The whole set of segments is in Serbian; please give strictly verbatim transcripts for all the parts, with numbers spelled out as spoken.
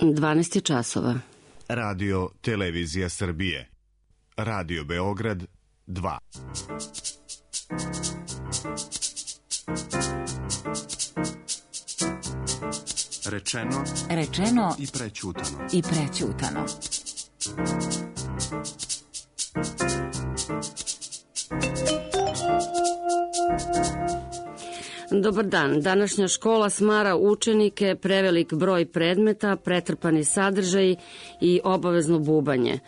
dvanaest časova. Radio Televizija Srbije. Radio Beograd dva. Rečeno, Rečeno i prećutano. i prećutano. Dobar dan. Današnja škola smara učenike, prevelik broj predmeta, pretrpani sadržaj i obavezno bubanje.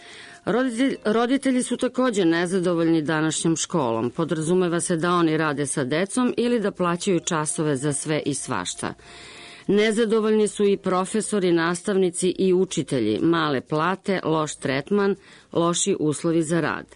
Roditelj, roditelji su takođe nezadovoljni današnjom školom. Podrazumeva se da oni rade sa decom ili da plaćaju časove za sve i svašta. Nezadovoljni su i profesori, nastavnici i učitelji, male plate, loš tretman, loši uslovi za rad.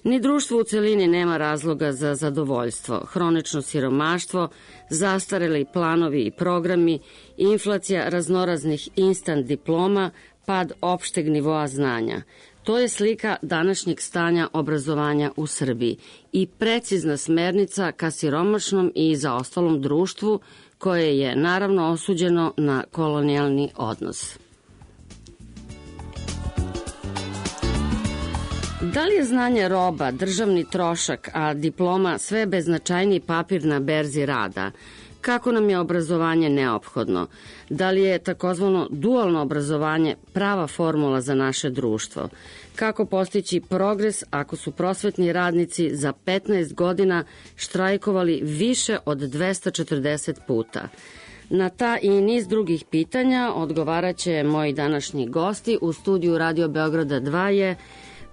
Ni društvo u celini nema razloga za zadovoljstvo. Hronično siromaštvo, zastareli planovi i programi, inflacija raznoraznih instant diploma, pad opšteg nivoa znanja. To je slika današnjeg stanja obrazovanja u Srbiji i precizna smernica ka siromašnom i zaostalom društvu koje je naravno osuđeno na kolonijalni odnos. Da li je znanje roba, državni trošak, a diploma sve beznačajniji papir na berzi rada? Kako nam je obrazovanje neophodno? Da li je takozvano dualno obrazovanje prava formula za naše društvo? Kako postići progres ako su prosvetni radnici za petnaest godina štrajkovali više od dvesta četrdeset puta? Na ta i niz drugih pitanja odgovaraće moji današnji gosti. U studiju Radio Beograda dva je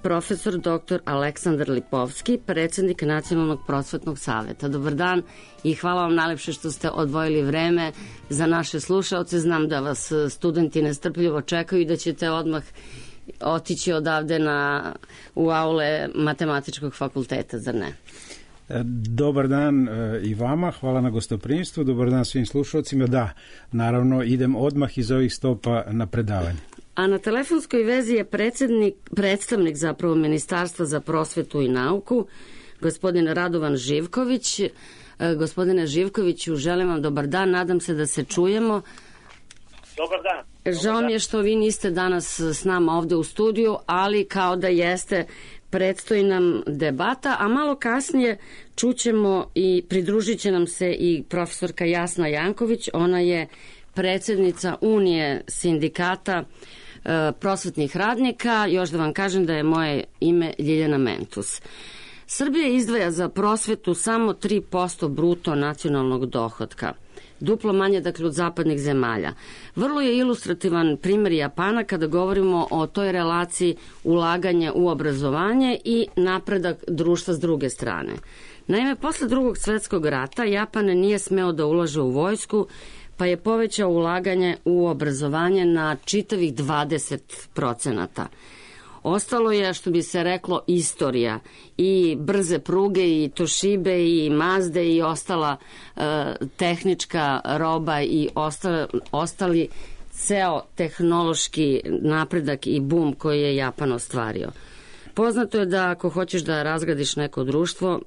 profesor doktor Aleksandar Lipovski, predsednik Nacionalnog prosvetnog saveta. Dobar dan i hvala vam najlepše što ste odvojili vreme za naše slušaoce. Znam da vas studenti nestrpljivo čekaju i da ćete odmah otići odavde na, u aule Matematičkog fakulteta, zar ne? Dobar dan i vama, hvala na gostoprimstvu, dobar dan svim slušalcima. Da, naravno, idem odmah iz ovih stopa na predavanje. A na telefonskoj vezi je predsednik, predstavnik zapravo Ministarstva za prosvetu i nauku, gospodin Radovan Živković. Gospodine Živkoviću, želim vam dobar dan, nadam se da se čujemo. Dobar dan. Žao mi je što vi niste danas s nama ovde u studiju, ali kao da jeste, predstoji nam debata, a malo kasnije čućemo i pridružit će nam se i profesorka Jasna Janković. Ona je predsednica Unije sindikata e, prosvetnih radnika. Još da vam kažem da je moje ime Ljiljana Mentus. Srbija izdvaja za prosvetu samo tri posto bruto nacionalnog dohotka. Duplo manje, dakle, od zapadnih zemalja. Vrlo je ilustrativan primjer Japana kada govorimo o toj relaciji ulaganja u obrazovanje i napredak društva s druge strane. Naime, posle drugog svetskog rata Japan nije smeo da ulaže u vojsku, pa je povećao ulaganje u obrazovanje na čitavih dvadeset procenata. Ostalo je, što bi se reklo, istorija i brze pruge i Toshibe i Mazde i ostala e, tehnička roba i ostali, ostali ceo tehnološki napredak i bum koji je Japan ostvario. Poznato je da ako hoćeš da razgradiš neko društvo,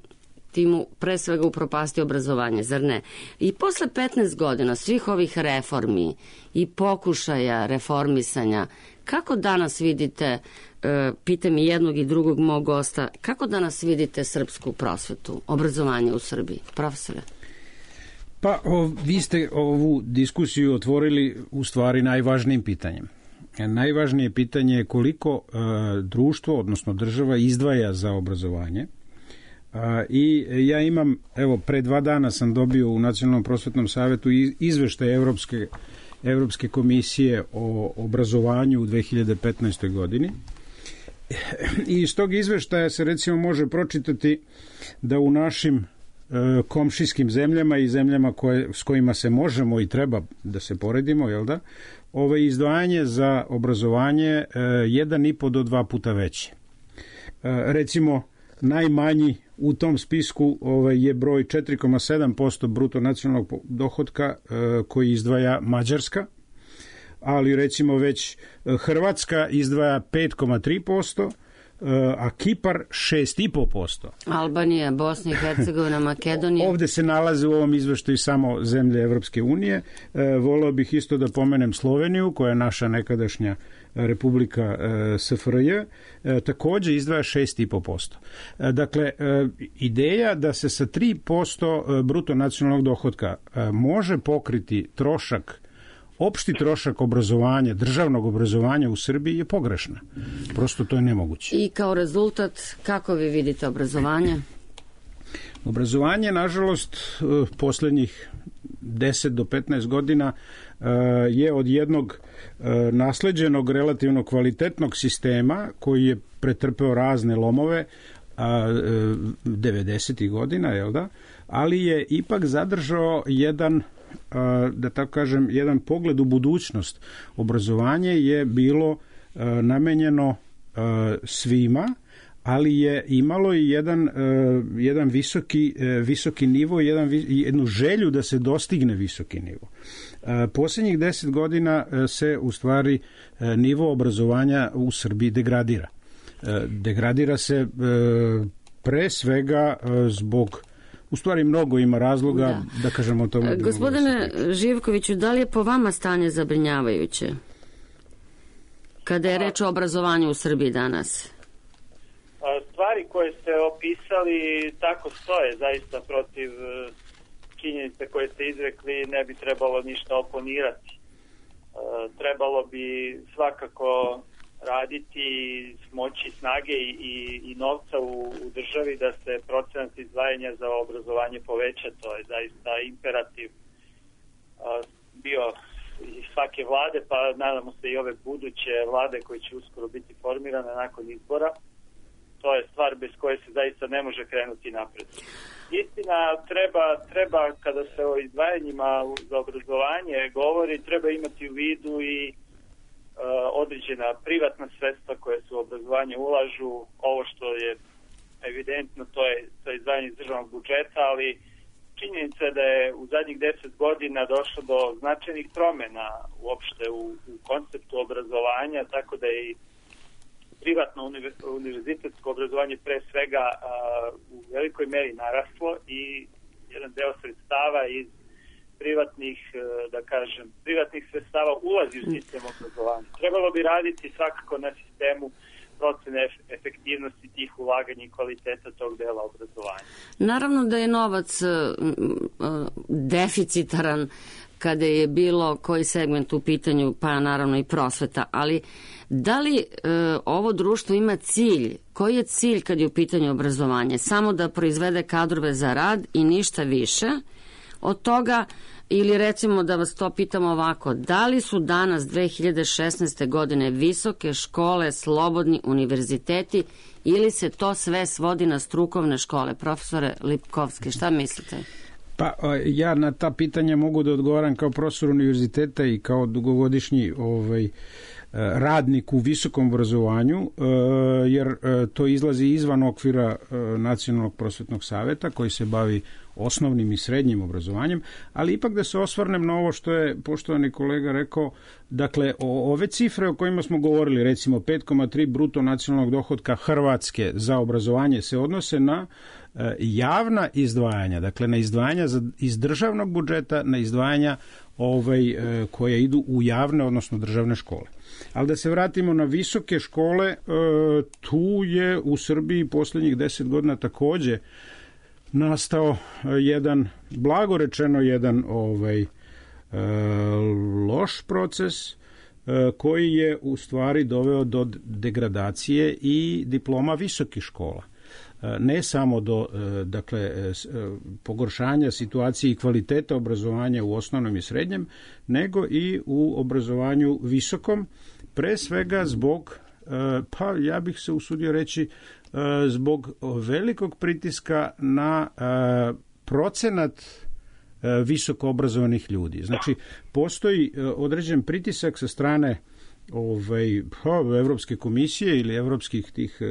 ti mu pre svega upropasti obrazovanje, zar ne? I posle petnaest godina svih ovih reformi i pokušaja reformisanja, kako danas vidite, e, pitam i jednog i drugog mog gosta, kako danas vidite srpsku prosvetu, obrazovanje u Srbiji? Profesore? Pa o, vi ste ovu diskusiju otvorili u stvari najvažnijim pitanjem. Najvažnije pitanje je koliko e, društvo, odnosno država, izdvaja za obrazovanje. I ja imam, evo, pre dva dana sam dobio u Nacionalnom prosvetnom savetu izveštaj Evropske, Evropske komisije o obrazovanju u dve hiljade petnaestoj godini. I iz tog izveštaja se recimo može pročitati da u našim e, komšijskim zemljama i zemljama koje, s kojima se možemo i treba da se poredimo, jel da, ovo izdvajanje za obrazovanje e, jedan i po do dva puta veće. E, recimo, najmanji u tom spisku ovaj, je broj četiri zarez sedam posto bruto nacionalnog dohotka e, koji izdvaja Mađarska, ali recimo već Hrvatska izdvaja pet zarez tri posto, a Kipar šest i po posto. Albanija, Bosna i Hercegovina, Makedonija. Ovde se nalaze u ovom izveštaju samo zemlje Evropske unije. Voleo bih isto da pomenem Sloveniju, koja je naša nekadašnja Republika S F R J, takođe izdvaja šest i po posto. Dakle, ideja da se sa tri posto bruto nacionalnog dohotka može pokriti trošak, opšti trošak obrazovanja, državnog obrazovanja u Srbiji je pogrešna. Prosto to je nemoguće. I kao rezultat, kako vi vidite obrazovanje? Obrazovanje, nažalost, poslednjih deset do petnaest godina je od jednog nasleđenog, relativno kvalitetnog sistema koji je pretrpeo razne lomove devedesetih godina, jel da? Ali je ipak zadržao jedan, da tako kažem, jedan pogled u budućnost. Obrazovanje je bilo namenjeno svima, ali je imalo i jedan, jedan visoki, visoki nivo, jedan, jednu želju da se dostigne visoki nivo. Poslednjih deset godina se u stvari nivo obrazovanja u Srbiji degradira. Degradira se pre svega zbog, u stvari mnogo ima razloga, da, da kažemo o tome. Gospodine Živkoviću, da li je po vama stanje zabrinjavajuće kada je reč o obrazovanju u Srbiji danas? Stvari koje ste opisali tako stoje, zaista protiv činjenice koje ste izrekli ne bi trebalo ništa oponirati. Trebalo bi svakako raditi, smoći snage i, i, i novca u, u državi da se procenat izdvajanja za obrazovanje poveća. To je zaista imperativ bio i svake vlade, pa nadamo se i ove buduće vlade koje će uskoro biti formirane nakon izbora. To je stvar bez koje se zaista ne može krenuti napred. Istina, treba, treba kada se o izdvajanjima za obrazovanje govori, treba imati u vidu i uh, određena privatna sredstva koje se u obrazovanje ulažu. Ovo što je evidentno, to je, to je izdvajanje iz državnog budžeta, ali činjenica je da je u zadnjih deset godina došlo do značajnih promjena uopšte u, u konceptu obrazovanja, tako da je i privatno univerzitetsko obrazovanje pre svega a, u velikoj meri naraslo i jedan deo sredstava iz privatnih, da kažem, privatnih sredstava ulazi u sistem obrazovanja. Trebalo bi raditi svakako na sistemu procene efektivnosti tih ulaganja i kvaliteta tog dela obrazovanja. Naravno da je novac deficitaran kada je bilo koji segment u pitanju, pa naravno i prosveta, ali da li e, ovo društvo ima cilj? Koji je cilj kad je u pitanju obrazovanje? Samo da proizvede kadrove za rad i ništa više od toga, ili recimo da vas to pitamo ovako, da li su danas dve hiljade šesnaeste. godine visoke škole slobodni univerziteti ili se to sve svodi na strukovne škole? Profesore Lipkovski, šta mislite? Pa ja na ta pitanja mogu da odgovaram kao profesor univerziteta i kao dugogodišnji ovaj, radnik u visokom obrazovanju, jer to izlazi izvan okvira Nacionalnog prosvetnog saveta koji se bavi osnovnim i srednjim obrazovanjem, ali ipak da se osvrnem na ovo što je poštovani kolega rekao, dakle o, ove cifre o kojima smo govorili, recimo pet zarez tri bruto nacionalnog dohotka Hrvatske za obrazovanje se odnose na e, javna izdvajanja, dakle na izdvajanja za, iz državnog budžeta, na izdvajanja ovaj, e, koje idu u javne, odnosno državne škole. Ali da se vratimo na visoke škole, e, tu je u Srbiji poslednjih deset godina takođe nastao jedan, blago rečeno, jedan ovaj, e, loš proces e, koji je u stvari doveo do degradacije i diploma visokih škola. E, ne samo do e, dakle, e, pogoršanja situacije i kvaliteta obrazovanja u osnovnom i srednjem, nego i u obrazovanju visokom, pre svega zbog, e, pa ja bih se usudio reći, zbog velikog pritiska na procenat visoko obrazovanih ljudi. Znači, postoji određen pritisak sa strane ovaj, Evropske komisije ili evropskih tih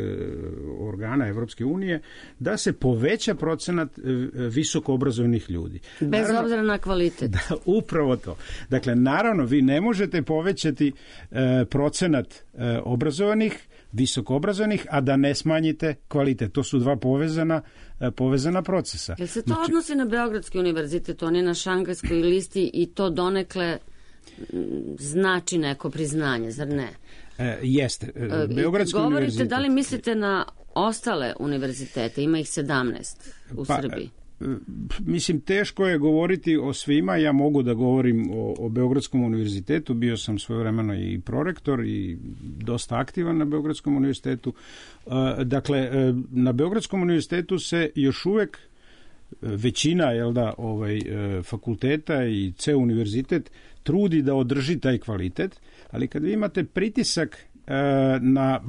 organa Evropske unije da se poveća procenat visoko obrazovanih ljudi. Bez naravno, obzira na kvalitet. Da, upravo to. Dakle, naravno, vi ne možete povećati procenat obrazovanih visokoobrazovanih, a da ne smanjite kvalitet. To su dva povezana, povezana procesa. Jel se to znači, odnosi na Beogradski univerzitet? On je na šangajskoj listi i to donekle znači neko priznanje, zar ne? E, jeste. Beogradski Govorite, univerzitet... da li mislite na ostale univerzitete? Ima ih sedamnaest u pa, Srbiji. Mislim, teško je govoriti o svima. Ja mogu da govorim o, o Beogradskom univerzitetu. Bio sam svojevremeno i prorektor i dosta aktivan na Beogradskom univerzitetu. Dakle, na Beogradskom univerzitetu se još uvek većina, jel da, ovaj, fakulteta i ceo univerzitet trudi da održi taj kvalitet, ali kad vi imate pritisak na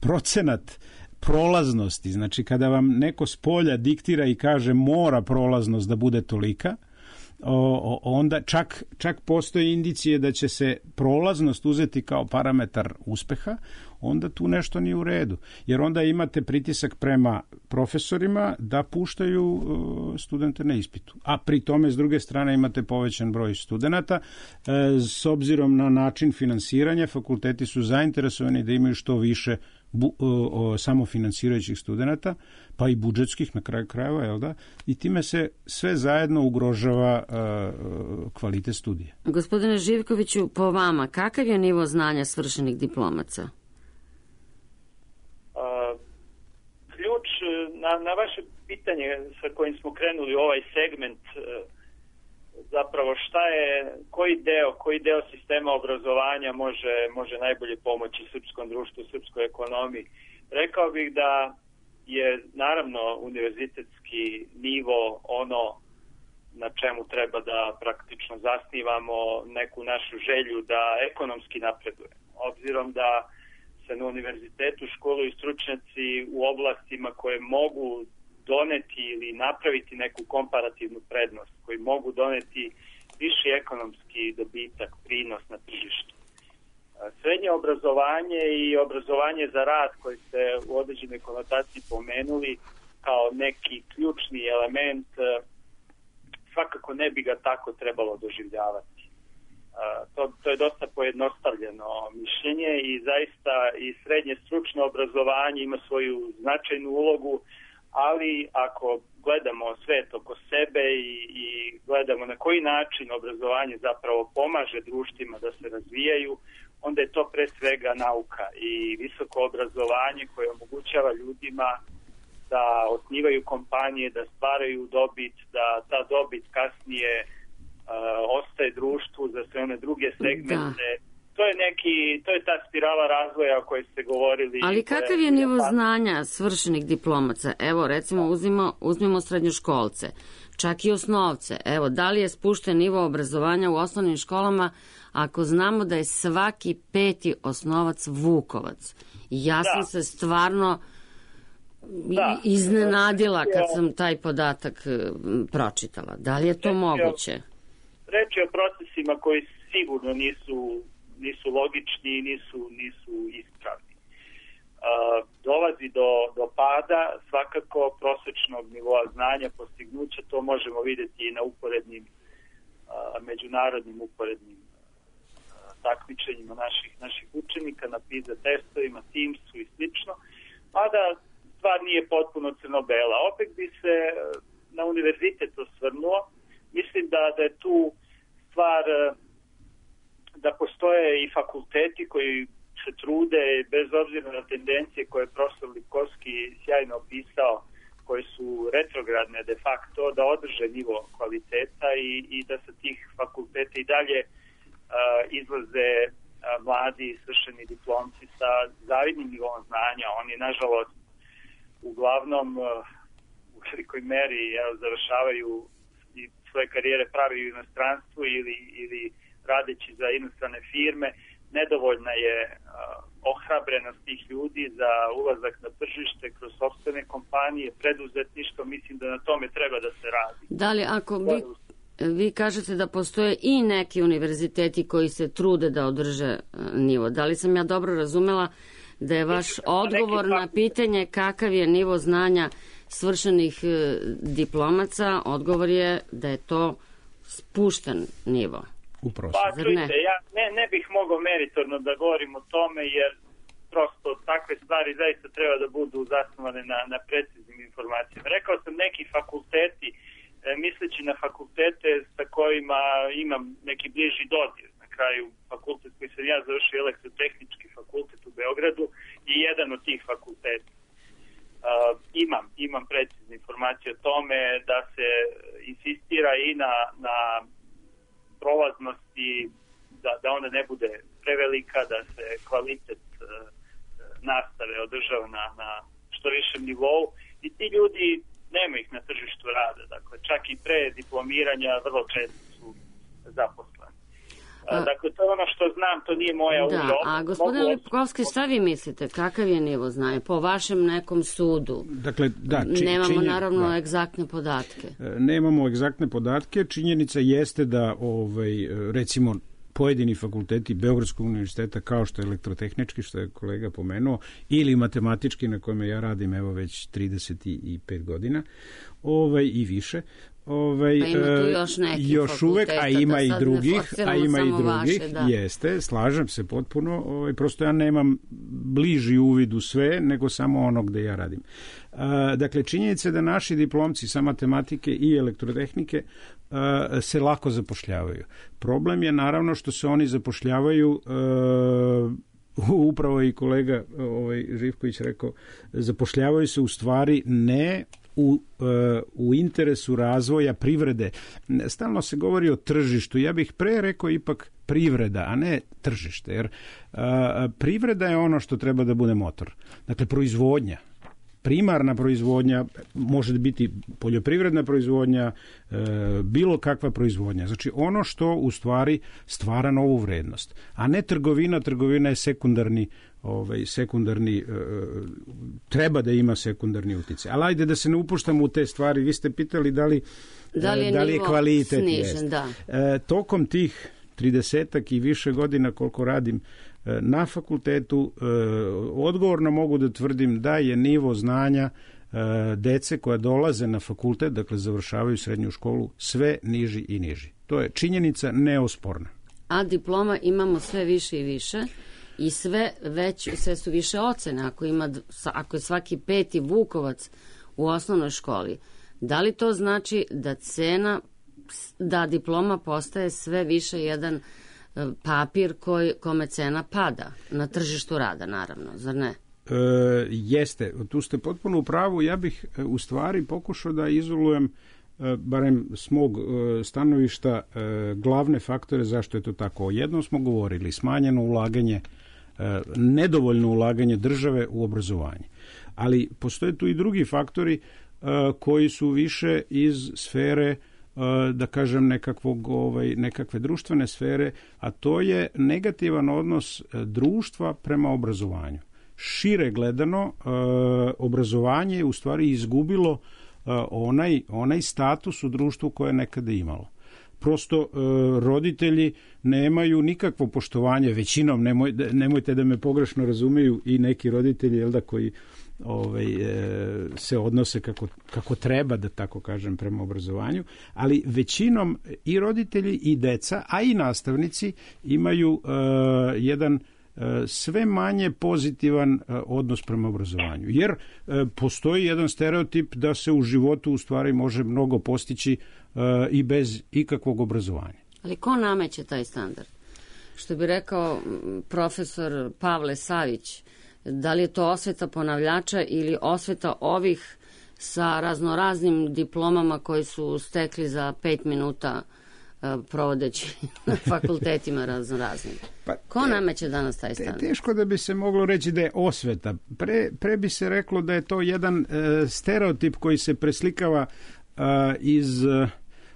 procenat prolaznosti, znači kada vam neko s polja diktira i kaže mora prolaznost da bude tolika, o, onda čak, čak postoje indicije da će se prolaznost uzeti kao parametar uspeha, onda tu nešto nije u redu. Jer onda imate pritisak prema profesorima da puštaju studente na ispitu. A pri tome, s druge strane, imate povećan broj studenata. S obzirom na način finansiranja, fakulteti su zainteresovani da imaju što više bu, o, samofinansirajućih studenata, pa i budžetskih na kraju krajeva, jel da? I time se sve zajedno ugrožava uh, kvalitet studija. Gospodine Živkoviću, po vama, kakav je nivo znanja svršenih diplomaca? Uh, ključ na, na vaše pitanje sa kojim smo krenuli u ovaj segment, uh, zapravo šta je, koji deo, koji deo sistema obrazovanja može, može najbolje pomoći srpskom društvu, srpskoj ekonomiji. Rekao bih da je naravno univerzitetski nivo ono na čemu treba da praktično zasnivamo neku našu želju da ekonomski napredujemo. Obzirom da se na univerzitetu školuju stručnjaci u oblastima koje mogu doneti ili napraviti neku komparativnu prednost, koji mogu doneti viši ekonomski dobitak, prinos na tržištu. Srednje obrazovanje i obrazovanje za rad koji ste u određenoj konotaciji pomenuli kao neki ključni element, svakako ne bi ga tako trebalo doživljavati. To, to je dosta pojednostavljeno mišljenje i zaista i srednje stručno obrazovanje ima svoju značajnu ulogu, ali ako gledamo svet oko sebe i, i gledamo na koji način obrazovanje zapravo pomaže društvima da se razvijaju, onda je to pre svega nauka i visoko obrazovanje koje omogućava ljudima da osnivaju kompanije, da stvaraju dobit, da ta dobit kasnije uh, ostaje društvu za sve one druge segmente. Da. To je neki, to je ta spirala razvoja o kojoj ste govorili. Ali kakav je nivo znanja svršenih diplomaca? Evo, recimo, uzmimo, uzmimo srednjoškolce, čak i osnovce. Evo, da li je spušten nivo obrazovanja u osnovnim školama ako znamo da je svaki peti osnovac Vukovac? Ja sam da. se stvarno da. iznenadila kad sam taj podatak pročitala. Da li je to reč moguće? Reč je o procesima koji sigurno nisu nisu logični i nisu, nisu ispravni. Uh, dolazi do, do pada svakako prosečnog nivoa znanja, postignuća, to možemo vidjeti i na uporednim, uh, međunarodnim uporednim uh, takmičenjima naših, naših učenika, na PISA testovima, Teamsu i slično, mada stvar nije potpuno crno-bela. Opet bi se na univerzitet osvrnuo. Mislim da, da je tu stvar uh, da postoje i fakulteti koji se trude, bez obzira na tendencije koje je profesor Lipkovski sjajno opisao, koje su retrogradne de facto, da održe nivo kvaliteta i, i da sa tih fakulteta i dalje uh, izlaze uh, mladi svršeni diplomci sa zavidnim nivom znanja. Oni, nažalost, uglavnom uh, u velikoj meri jel, završavaju i svoje karijere pravi u inostranstvu ili, ili radeći za inostrane firme. Nedovoljna je uh, ohrabrenost tih ljudi za ulazak na tržište kroz sopstvene kompanije, preduzetništvo. Mislim da na tome treba da se radi. Da li ako vi, vi kažete da postoje i neki univerziteti koji se trude da održe nivo, da li sam ja dobro razumela da je vaš odgovor na pitanje kakav je nivo znanja svršenih diplomaca, odgovor je da je to spušten nivo? Pa čujte, ja ne, ne bih mogao meritorno da govorim o tome jer prosto takve stvari zaista treba da budu zasnovane na, na preciznim informacijama. Rekao sam neki fakulteti, e, misleći na fakultete sa kojima imam neki bliži dodir. Na kraju fakultet koji sam ja završio, Elektrotehnički fakultet u Beogradu, je jedan od tih fakulteta. Uh, imam, imam precizne informacije o tome da se insistira i na, na prolaznosti, da, da ona ne bude prevelika, da se kvalitet uh, nastave održava na, na što višem nivou i ti ljudi nema ih na tržištu rada, dakle čak i pre diplomiranja vrlo često su zaposleni. A, dakle, to je ono što znam, to nije moja uloga. Da, a gospodin Lipkovski, šta vi mislite, kakav je nivo znanja po vašem nekom sudu? Dakle, da, či, Nemamo činjen, naravno da. egzaktne podatke. Nemamo egzaktne podatke, činjenica jeste da ovaj, recimo pojedini fakulteti Beogradskog univerziteta kao što je Elektrotehnički, što je kolega pomenuo, ili matematički na kojem ja radim evo već trideset pet godina ovaj, i više, Ovaj, pa ima tu još nekih još uvek, a ima da i drugih, a ima i drugih, vaše, da. Jeste, slažem se potpuno, ovaj, prosto ja nemam bliži uvid u sve, nego samo ono gde ja radim. A, dakle, činjenica je da naši diplomci sa matematike i elektrotehnike a, se lako zapošljavaju. Problem je naravno što se oni zapošljavaju a, upravo i kolega ovaj, Živković rekao, zapošljavaju se u stvari ne U, u interesu razvoja privrede. Stalno se govori o tržištu. Ja bih pre rekao ipak privreda, a ne tržište. Jer a, privreda je ono što treba da bude motor. Dakle, proizvodnja. Primarna proizvodnja može biti poljoprivredna proizvodnja, e, bilo kakva proizvodnja. Znači ono što u stvari stvara novu vrednost. A ne trgovina. Trgovina je sekundarni Ovaj, sekundarni, e, treba da ima sekundarni uticaj. Ali ajde da se ne upuštamo u te stvari. Vi ste pitali da li, da li je, da li je kvalitet. Snižen, da. E, tokom tih tridesetak i više godina koliko radim e, na fakultetu, e, odgovorno mogu da tvrdim da je nivo znanja e, dece koja dolaze na fakultet, dakle završavaju srednju školu, sve niži i niži. To je činjenica neosporna. A diploma imamo sve više i više. I sve već, sve su više ocene, ako, ima, ako je svaki peti Vukovac u osnovnoj školi. Da li to znači da cena, da diploma postaje sve više jedan papir koji, kome cena pada na tržištu rada, naravno, zar ne? E, jeste, tu ste potpuno u pravu. Ja bih u stvari pokušao da izolujem barem s mog stanovišta glavne faktore zašto je to tako. Jednom smo govorili, smanjeno ulaganje, nedovoljno ulaganje države u obrazovanje. Ali postoje tu i drugi faktori koji su više iz sfere, da kažem, nekakvog, ovaj, nekakve društvene sfere, a to je negativan odnos društva prema obrazovanju. Šire gledano, obrazovanje je u stvari izgubilo onaj, onaj status u društvu koje je nekada imalo. Prosto e, roditelji nemaju nikakvo poštovanje, većinom, nemoj, nemojte da me pogrešno razumeju i neki roditelji, jel da, koji ovaj, e, se odnose kako, kako treba, da tako kažem, prema obrazovanju, ali većinom i roditelji i deca, a i nastavnici imaju e, jedan sve manje pozitivan odnos prema obrazovanju. Jer postoji jedan stereotip da se u životu u stvari može mnogo postići i bez ikakvog obrazovanja. Ali ko nameće taj standard? Što bi rekao profesor Pavle Savić, da li je to osveta ponavljača ili osveta ovih sa raznoraznim diplomama koji su stekli za pet minuta provodeći na fakultetima raznoraznim. Pa, Ko nameće danas taj standard? Teško da bi se moglo reći da je osveta. Pre, pre bi se reklo da je to jedan e, stereotip koji se preslikava e, iz,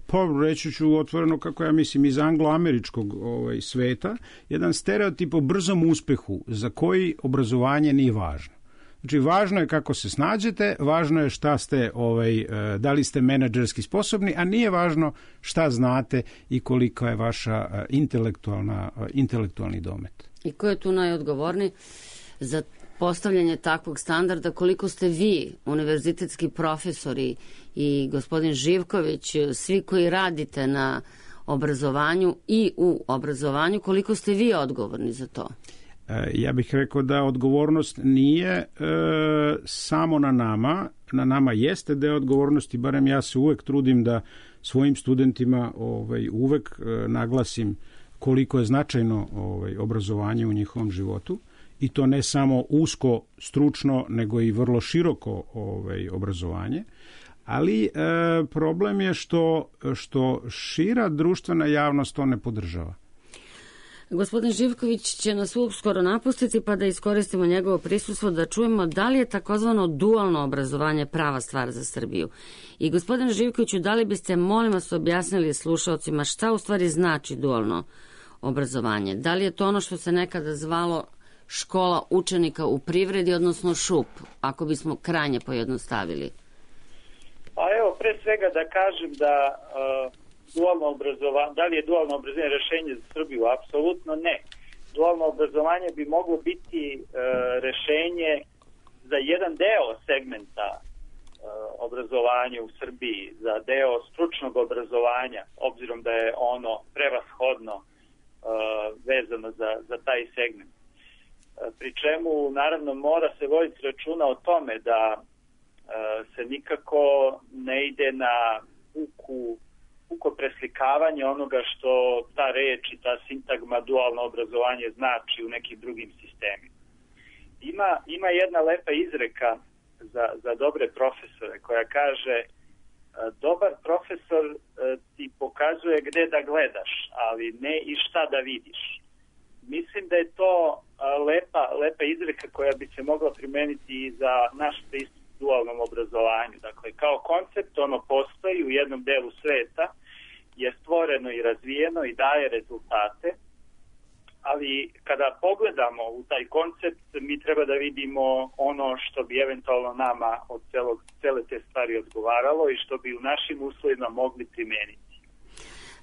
pa reći ću otvoreno kako ja mislim, iz anglo-američkog ovaj, sveta, jedan stereotip o brzom uspehu za koji obrazovanje nije važno. Znači, važno je kako se snađete, važno je šta ste, ovaj, da li ste menadžerski sposobni, a nije važno šta znate i koliko je vaša intelektualna, intelektualni domet. I ko je tu najodgovorniji za postavljanje takvog standarda? Koliko ste vi, univerzitetski profesori i gospodin Živković, svi koji radite na obrazovanju i u obrazovanju, koliko ste vi odgovorni za to? Ja bih rekao da odgovornost nije e, samo na nama, na nama jeste deo odgovornosti, barem ja se uvek trudim da svojim studentima ovaj, uvek e, naglasim koliko je značajno ovaj, obrazovanje u njihovom životu i to ne samo usko, stručno, nego i vrlo široko ovaj, obrazovanje. Ali e, problem je što, što šira društvena javnost to ne podržava. Gospodin Živković će nas uskoro napustiti, pa da iskoristimo njegovo prisustvo da čujemo da li je takozvano dualno obrazovanje prava stvar za Srbiju. I gospodine Živkoviću, da li biste, molim vas, objasnili slušalcima šta u stvari znači dualno obrazovanje? Da li je to ono što se nekada zvalo škola učenika u privredi, odnosno ŠUP, ako bismo krajnje pojednostavili? Pa evo, pre svega da kažem da uh, dualno obrazovanje, da li je dualno obrazovanje rešenje za Srbiju? Apsolutno ne. Dualno obrazovanje bi moglo biti uh, rešenje za jedan deo segmenta uh, obrazovanja u Srbiji, za deo stručnog obrazovanja, obzirom da je ono prevashodno uh, vezano za, za taj segment. Uh, pri čemu, naravno, mora se voditi računa o tome da se nikako ne ide na puku, puko preslikavanje onoga što ta reč i ta sintagma dualno obrazovanje znači u nekim drugim sistemima. Ima, ima jedna lepa izreka za, za dobre profesore koja kaže: dobar profesor ti pokazuje gde da gledaš, ali ne i šta da vidiš. Mislim da je to lepa, lepa izreka koja bi se mogla primeniti i za naš pristup dualnom obrazovanju. Dakle, kao koncept ono postoji u jednom delu sveta, je stvoreno i razvijeno i daje rezultate, ali kada pogledamo u taj koncept, mi treba da vidimo ono što bi eventualno nama od celog, cele te stvari odgovaralo i što bi u našim uslovima mogli primeniti.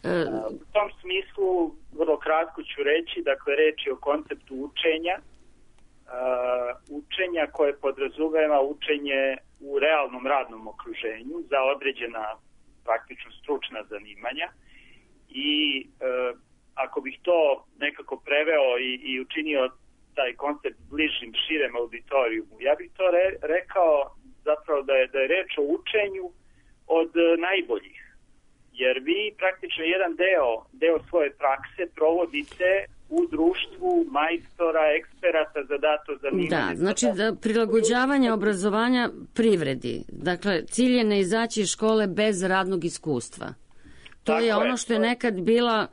E... U tom smislu, vrlo kratko ću reći, dakle, reč je o konceptu učenja, Uh, učenja koje podrazumeva učenje u realnom radnom okruženju za određena praktično stručna zanimanja i uh, ako bih to nekako preveo i, i učinio taj koncept bližim širem auditorijumu, ja bih to re, rekao zapravo da je, da je reč o učenju od uh, najboljih, jer vi praktično jedan deo, deo svoje prakse provodite u društvu majstora, eksperata za dato zanimanje. Da, znači da prilagođavanje obrazovanja privredi. Dakle, cilj je ne izaći iz škole bez radnog iskustva. To Tako je ono je, što je nekad bila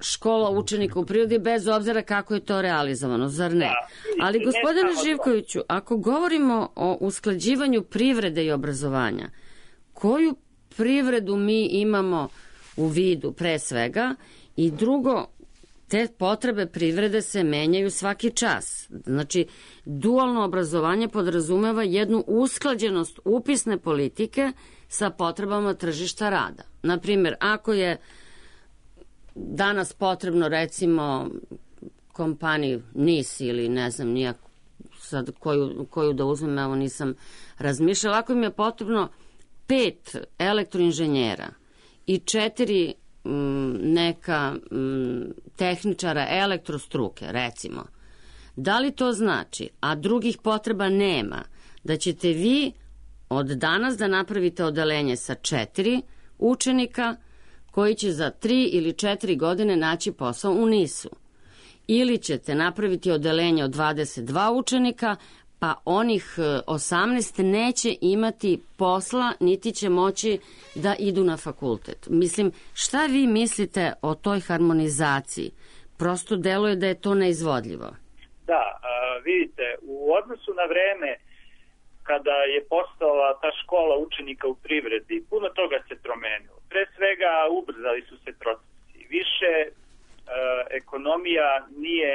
škola učenika u prirodi, bez obzira kako je to realizovano, zar ne? Da, Ali, gospodine ne Živkoviću, ako govorimo o usklađivanju privrede i obrazovanja, koju privredu mi imamo u vidu pre svega i drugo, te potrebe privrede se menjaju svaki čas. Znači, dualno obrazovanje podrazumeva jednu usklađenost upisne politike sa potrebama tržišta rada. Naprimjer, ako je danas potrebno, recimo, kompaniji N I S ili ne znam nijak sad koju, koju da uzmem, evo nisam razmišljala, ako im je potrebno pet elektroinženjera i četiri neka m, tehničara elektrostruke, recimo. Da li to znači, a drugih potreba nema, da ćete vi od danas da napravite odeljenje sa četiri učenika koji će za tri ili četiri godine naći posao u N I S-u? Ili ćete napraviti odeljenje od dvadeset dva učenika, pa onih osamnaest neće imati posla, niti će moći da idu na fakultet. Mislim, šta vi mislite o toj harmonizaciji? Prosto deluje da je to neizvodljivo. Da, a, vidite, u odnosu na vreme kada je postala ta škola učenika u privredi, puno toga se promenilo. Pre svega, ubrzali su se procesi. Više ekonomija nije,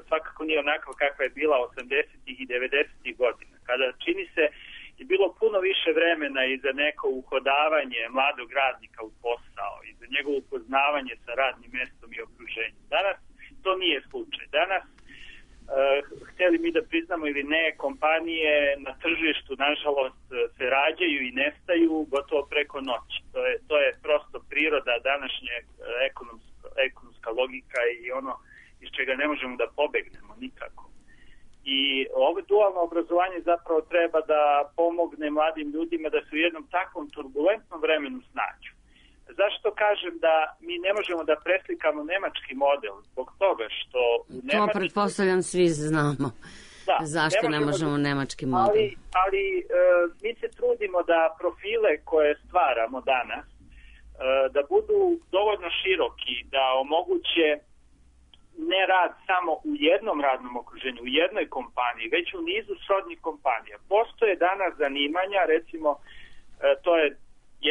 svakako nije onakva kakva je bila osamdesetih i devedesetih godina, kada čini se je bilo puno više vremena i za neko uhodavanje mladog radnika u posao i za njegovo upoznavanje sa radnim mestom i okruženjem. Danas to nije slučaj. Danas, hteli mi da priznamo ili ne, kompanije na tržištu, nažalost, se rađaju i nestaju gotovo preko noći. To je, to je prosto priroda današnje ekonomske ekonomska logika i ono iz čega ne možemo da pobegnemo. dualno obrazovanje zapravo treba da pomogne mladim ljudima da se u jednom takvom turbulentnom vremenu snađu. Zašto kažem da mi ne možemo da preslikamo nemački model? Zbog toga što u Nemačkoj... To pretpostavljam svi znamo. Da, zašto ne možemo, ne možemo nemački model? Ali, ali e, mi se trudimo da profile koje stvaramo danas e, da budu dovoljno široki, da omoguće ne rad samo u jednom radnom okruženju, u jednoj kompaniji, već u nizu srodnih kompanija. Postoje danas zanimanja, recimo, e, to je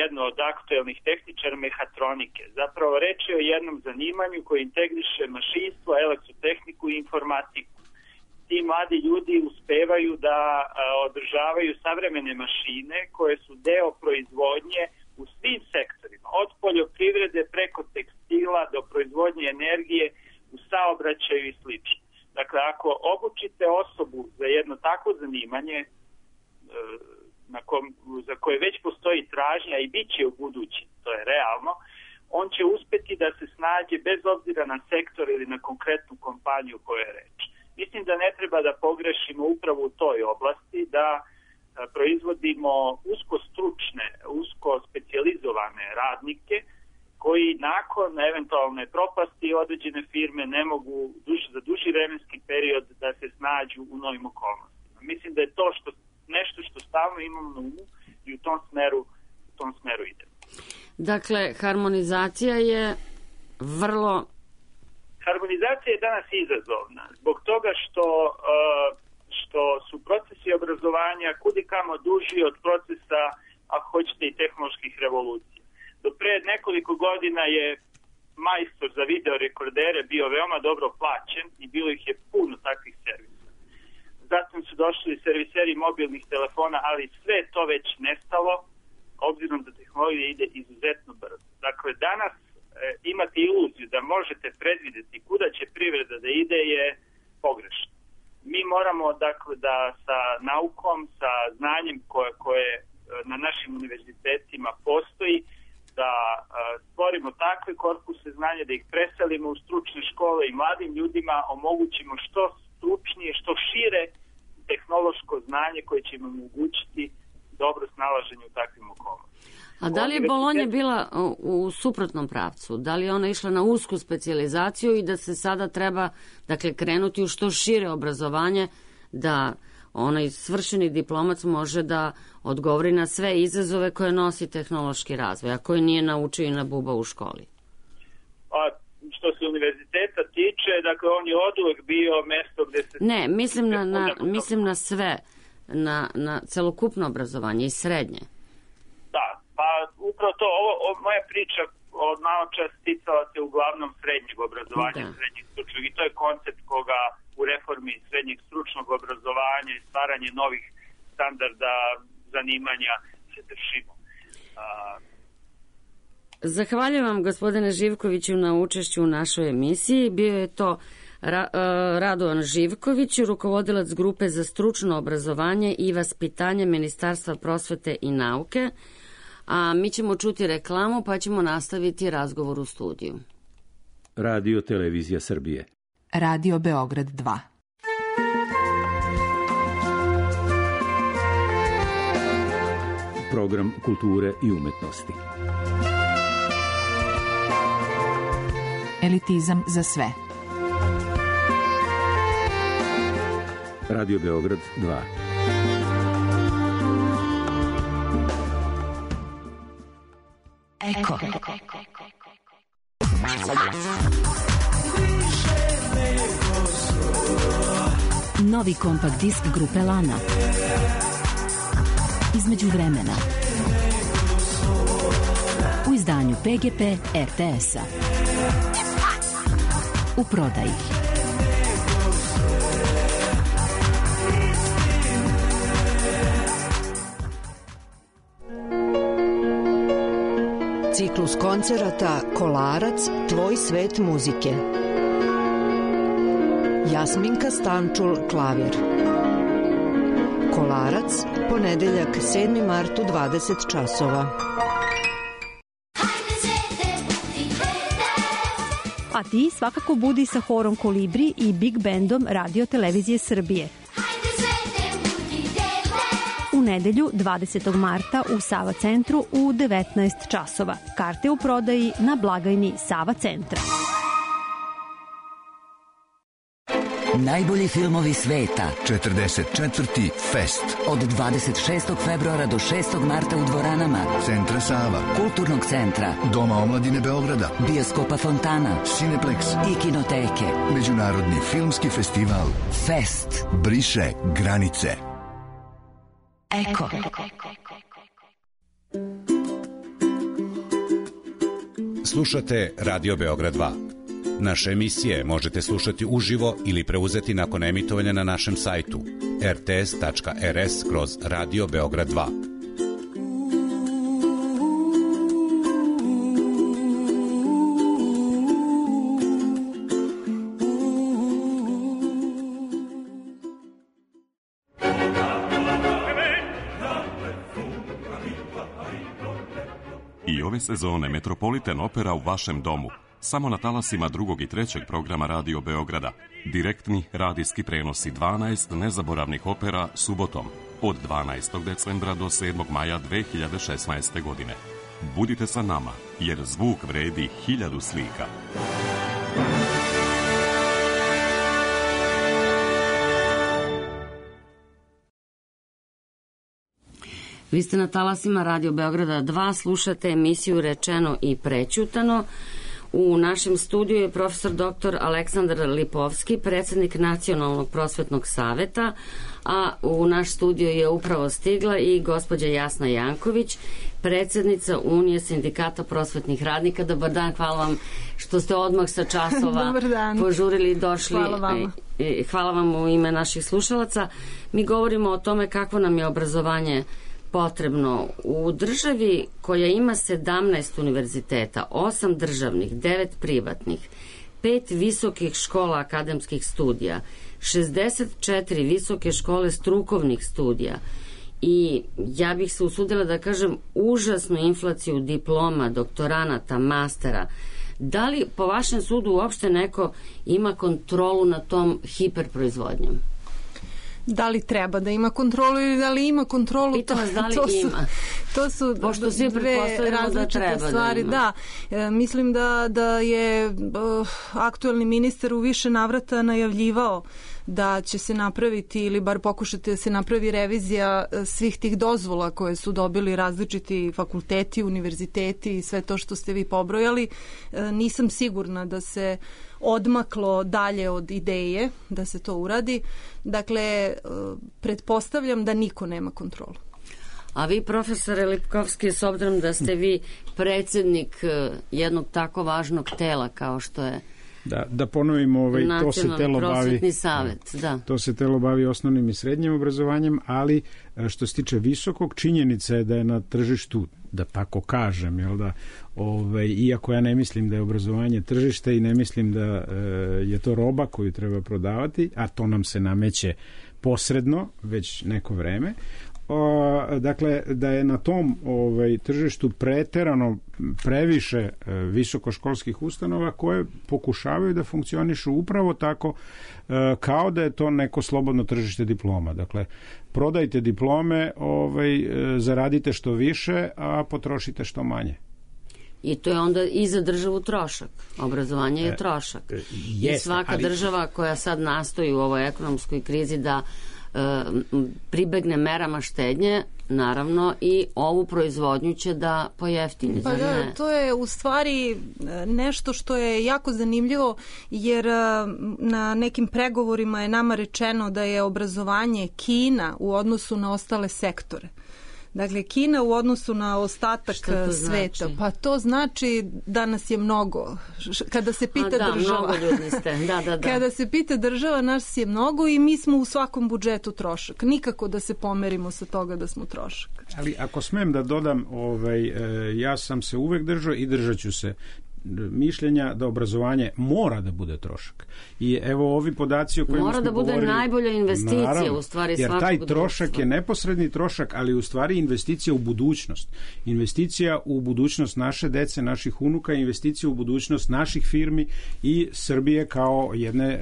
jedno od aktuelnih tehničara mehatronike. Zapravo reč je o jednom zanimanju koji integriše mašinstvo, elektrotehniku i informatiku. Ti mladi ljudi uspevaju da a, održavaju savremene mašine koje su deo proizvodnje u svim sektorima, od poljoprivrede preko tekstila do proizvodnje energije u saobraćaju i slično. Dakle, ako obučite osobu za jedno takvo zanimanje, e, na kom, za koje već postoji tražnja i bit će u budući, to je realno, on će uspeti da se snađe bez obzira na sektor ili na konkretnu kompaniju koja je reč. Mislim da ne treba da pogrešimo upravo u toj oblasti, da proizvodimo usko stručne, usko specijalizovane radnike koji nakon eventualne propasti određene firme ne mogu duž, za duži vremenski period da se snađu u novim okolnostima. Mislim da je to što, nešto što stalno imamo na umu i u tom smeru, u tom smeru idemo. Dakle, harmonizacija je vrlo... Harmonizacija je danas izazovna zbog toga što, što su procesi obrazovanja kudikamo duži od procesa, ako hoćete, i tehnoloških revolucija. Do pre nekoliko godina je majstor za videorekordere bio veoma dobro plaćen i bilo ih je puno takvih servisa. Zatim su došli serviseri mobilnih telefona, ali sve to već nestalo, obzirom da tehnologija ide izuzetno brzo. Dakle, danas imati iluziju da možete predvideti kuda će privreda da ide je pogrešno. Mi moramo, dakle, da sa naukom, sa znanjem koje, koje na našim univerzitetima postoji, da stvorimo takve korpuse znanja, da ih preselimo u stručne škole i mladim ljudima omogućimo što stručnije, što šire tehnološko znanje koje će im omogućiti dobro snalaženje u takvim okolnostima. A da li je Bolonja bila u suprotnom pravcu? Da li je ona išla na usku specijalizaciju i da se sada treba, dakle, krenuti u što šire obrazovanje, da onaj svršeni diplomac može da odgovori na sve izazove koje nosi tehnološki razvoj, a koje nije naučio i na buba u školi? A što se univerziteta tiče, dakle, on je oduvek bio mesto gde se... Ne, mislim na, na, mislim na sve, na, na celokupno obrazovanje i srednje. Da, pa upravo to, ovo, ovo moja priča od malo čas ticala se uglavnom srednjeg obrazovanja, da. Srednjeg stručnog, i to je koncept koga u reformi srednjeg stručnog obrazovanja i stvaranje novih standarda zanimanja se držimo. A... Zahvaljujem vam, gospodine Živkoviću, na učešću u našoj emisiji. Bio je to Ra, Radovan Živković, rukovodilac grupe za stručno obrazovanje i vaspitanje Ministarstva prosvete i nauke. A mi ćemo čuti reklamu, pa ćemo nastaviti razgovor u studiju. Radio Televizija Srbije. Radio Beograd dva. Program kulture i umetnosti. Elitizam za sve. Radio Beograd dva. Eko. Novi kompakt disk grupe Lana. Između vremena. U izdanju P G P R T S-a. U prodaji. Ciklus koncerata Kolarac, tvoj svet muzike. Jasminka Stančul, klavir. Kolarac, ponedeljak sedmi mart u dvadeset časova. A ti svakako budi sa horom Kolibri i Big Bandom Radio Televizije Srbije. nedelju dvadesetog marta u Sava centru u devetnaest časova. Karte u prodaji na blagajni Sava centra. Najbolji filmovi sveta. četrdeset četvrti Fest. Od dvadeset šestog februara do šestog marta u dvoranama Centra Sava, Kulturnog centra, Doma omladine Beograda, Bioskopa Fontana, Cineplex i Kinoteke. Međunarodni filmski festival Fest briše granice. Eko. Slušate Radio Beograd dva. Naše emisije možete slušati uživo ili preuzeti nakon emitovanja na našem sajtu er te es tačka er es kroz Radio Beograd dva. I ove sezone Metropolitan Opera u vašem domu. Samo na talasima drugog i trećeg programa Radio Beograda. Direktni radijski prenosi dvanaest nezaboravnih opera subotom od dvanaestog decembra do sedmog maja dve hiljade šesnaeste. godine. Budite sa nama, jer zvuk vredi hiljadu slika. Vi ste na talasima Radio Beograda dva, slušate emisiju Rečeno i prećutano. U našem studiju je profesor doktor Aleksandar Lipovski, predsjednik Nacionalnog prosvetnog saveta, a u naš studio je upravo stigla i gospođa Jasna Janković, predsjednica Unije sindikata prosvetnih radnika. Dobar dan, hvala vam što ste odmah sa časova požurili i došli. Hvala vam. Hvala vam u ime naših slušalaca. Mi govorimo o tome kako nam je obrazovanje potrebno. U državi koja ima sedamnaest univerziteta, osam državnih, devet privatnih, pet visokih škola akademskih studija, šezdeset četiri visoke škole strukovnih studija i ja bih se usudila da kažem užasnu inflaciju diploma, doktoranata, mastera. Da li po vašem sudu uopšte neko ima kontrolu nad tom hiperproizvodnjom? Da li treba da ima kontrolu ili da li ima kontrolu? Pitam vas da li to su, ima. To su Pošto svi dve različite da stvari. Da, da e, mislim da, da je uh, aktuelni ministar u više navrata najavljivao da će se napraviti ili bar pokušati da se napravi revizija svih tih dozvola koje su dobili različiti fakulteti, univerziteti i sve to što ste vi pobrojali. E, nisam sigurna da se odmaklo dalje od ideje da se to uradi. Dakle, pretpostavljam da niko nema kontrolu. A vi, profesore Lipkovski, s obzirom da ste vi predsjednik jednog tako važnog tela kao što je Da, da ponovimo, ovaj, to se telo bavi, savet, da. to se telo bavi osnovnim i srednjim obrazovanjem, ali što se tiče visokog, činjenica je da je na tržištu, da tako kažem, jel da, ovaj, iako ja ne mislim da je obrazovanje tržište i ne mislim da e, je to roba koju treba prodavati, a to nam se nameće posredno već neko vreme. O, dakle, da je na tom ovaj, tržištu preterano previše e, visokoškolskih ustanova koje pokušavaju da funkcionišu upravo tako e, kao da je to neko slobodno tržište diploma. Dakle, prodajte diplome, ovaj, e, zaradite što više, a potrošite što manje. I to je onda i za državu trošak. Obrazovanje je trošak. E, jeste, I svaka ali... država koja sad nastoji u ovoj ekonomskoj krizi da pribegne merama štednje, naravno i ovu proizvodnju će da pojeftini. Pa da, to je u stvari nešto što je jako zanimljivo, jer na nekim pregovorima je nama rečeno da je obrazovanje Kina u odnosu na ostale sektore. Dakle, Kina u odnosu na ostatak sveta. Znači? Pa to znači da nas je mnogo. Kada se pita A, da, država. Mnogo ljudi ste. Da, da, da. Kada se pita država, nas je mnogo i mi smo u svakom budžetu trošak. Nikako da se pomerimo sa toga da smo trošak. Ali ako smem da dodam, ovaj, ja sam se uvek držao i držat ću se mišljenja da obrazovanje mora da bude trošak. I evo ovi podaci o kojima mora smo da bude govorili, najbolja investicija, naravno, u stvari jer svakog taj trošak društva. je neposredni trošak, ali u stvari investicija u budućnost. Investicija u budućnost naše dece, naših unuka, investicija u budućnost naših firmi i Srbije kao jedne e,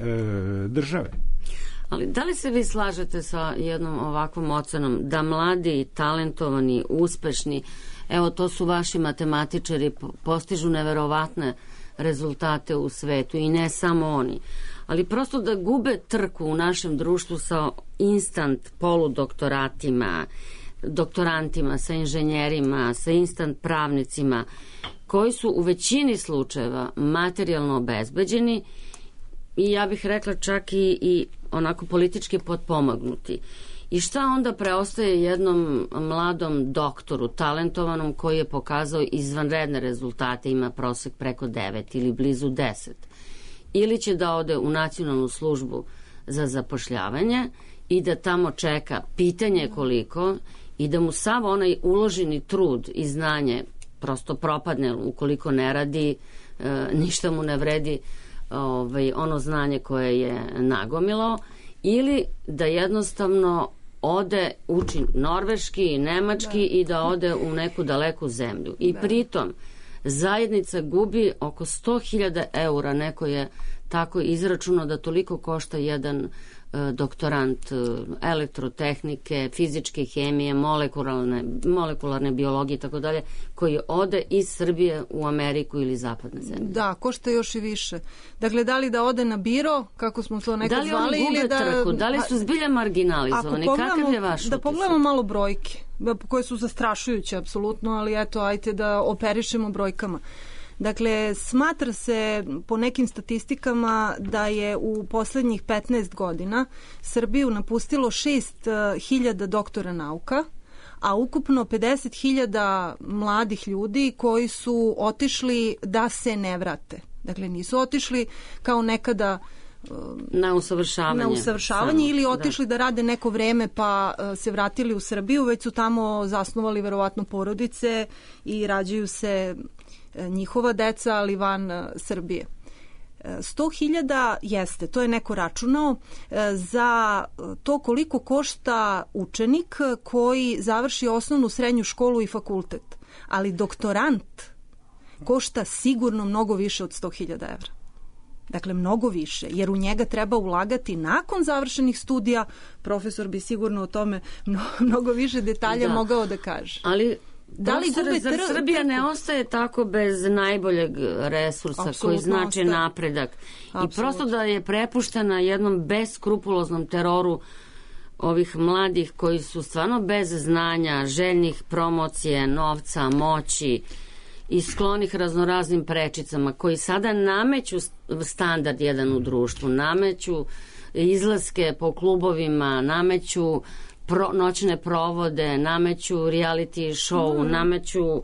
države. Ali da li se vi slažete sa jednom ovakvom ocenom da mladi, talentovani, uspešni, evo to su vaši matematičari, postižu neverovatne rezultate u svetu i ne samo oni, ali prosto da gube trku u našem društvu sa instant poludoktoratima, doktorantima, sa inženjerima, sa instant pravnicima, koji su u većini slučajeva materijalno obezbeđeni i ja bih rekla čak i, i onako politički potpomagnuti. I šta onda preostaje jednom mladom doktoru, talentovanom, koji je pokazao izvanredne rezultate, ima prosek preko devet ili blizu deset? Ili će da ode u nacionalnu službu za zapošljavanje i da tamo čeka pitanje koliko i da mu sav onaj uloženi trud i znanje prosto propadne ukoliko ne radi, e, ništa mu ne vredi ovaj, ono znanje koje je nagomilao, ili da jednostavno ode, uči norveški, nemački da. i da ode u neku daleku zemlju. I da. pritom zajednica gubi oko sto hiljada eura, neko je tako izračunao da toliko košta jedan doktorant elektrotehnike, fizičke hemije, molekularne, molekularne biologije i tako dalje, koji ode iz Srbije u Ameriku ili zapadne zemlje. Da, košta još i više. Dakle, da li da ode na biro, kako smo to nekad zvali, da li oni gube da... trku, da li su zbilja marginalizovani, kakav je vaš utisak? Da pogledamo malo brojke, koje su zastrašujuće apsolutno, ali eto, ajte da operišemo brojkama. Dakle, smatra se po nekim statistikama da je u poslednjih petnaest godina Srbiju napustilo šest hiljada doktora nauka, a ukupno pedeset hiljada mladih ljudi koji su otišli da se ne vrate. Dakle, nisu otišli kao nekada na usavršavanje, na usavršavanje samo, ili otišli da. da rade neko vreme pa se vratili u Srbiju, već su tamo zasnovali verovatno porodice i rađaju se njihova deca, ali van Srbije. sto hiljada jeste, to je neko računao, za to koliko košta učenik koji završi osnovnu, srednju školu i fakultet. Ali doktorant košta sigurno mnogo više od sto hiljada evra. Dakle, mnogo više, jer u njega treba ulagati nakon završenih studija. Profesor bi sigurno o tome mnogo više detalja da. mogao da kaže. Ali da li gube zar Srbija ne ostaje tako bez najboljeg resursa Absolutno koji znači ostaje. napredak Absolutno. i prosto da je prepuštena jednom beskrupuloznom teroru ovih mladih koji su stvarno bez znanja, željnih promocije, novca, moći i sklonih raznoraznim prečicama, koji sada nameću standard jedan u društvu, nameću izlaske po klubovima, nameću Pro, noćne provode, nameću reality show, mm. nameću uh,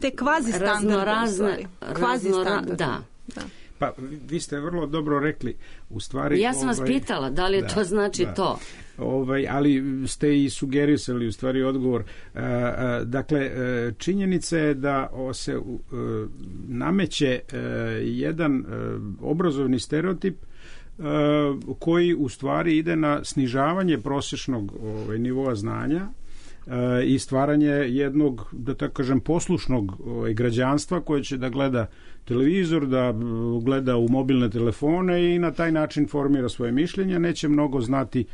te kvazi standarde, kvazi standarde. Da. da. Pa vi ste vrlo dobro rekli, u stvari... Ja sam ovaj, vas pitala, da li je da, to znači da. to? Ovaj, ali ste i sugerisali u stvari odgovor. E, e, dakle, e, činjenica je da se e, nameće e, jedan e, obrazovni stereotip koji u stvari ide na snižavanje prosječnog ovaj, nivoa znanja e, i stvaranje jednog, da tako kažem, poslušnog ovaj, građanstva koje će da gleda televizor, da gleda u mobilne telefone i na taj način formira svoje mišljenje, neće mnogo znati e,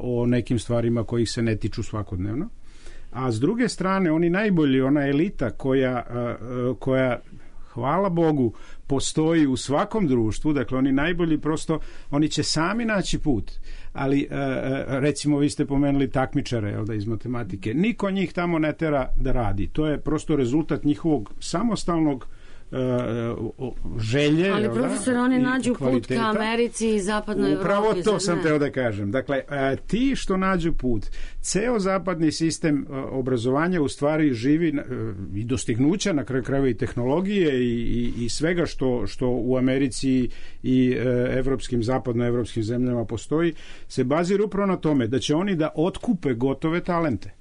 o nekim stvarima kojih se ne tiču svakodnevno. A s druge strane, oni najbolji, ona elita koja, e, koja hvala Bogu, postoji u svakom društvu, dakle oni najbolji prosto, oni će sami naći put, ali recimo vi ste pomenuli takmičare, jel da, iz matematike, niko njih tamo ne tera da radi, to je prosto rezultat njihovog samostalnog želje. Ali profesor, oni nađu put ka Americi i zapadnoj Evropi. Upravo to sam teo da kažem. Dakle, ti što nađu put, ceo zapadni sistem obrazovanja u stvari živi i dostignuća, na kraju krajeva i tehnologije i, i, i svega što, što u Americi i evropskim, zapadnoevropskim zemljama postoji, se bazira upravo na tome da će oni da otkupe gotove talente.